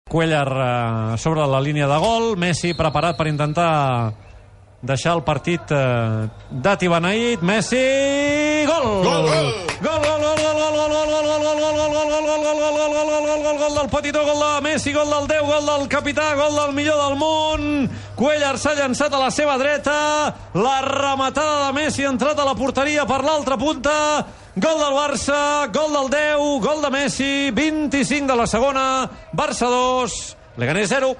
Cuéllar sobre la línia de gol, Messi preparat per intentar deixar el partit d'atibeneït. Messi, gol! Gol, gol! Gol, gol, gol, gol, gol, gol, gol, gol, gol, gol, gol, gol, gol del Petitó, gol de Messi, gol del 10, gol del capità, gol del millor del món. Cuéllar s'ha llançat a la seva dreta, la rematada de Messi ha entrat a la porteria per l'altra punta. Gol del Barça, gol del 10, gol de Messi, 25 de la segona, Barça 2, Leganés 0.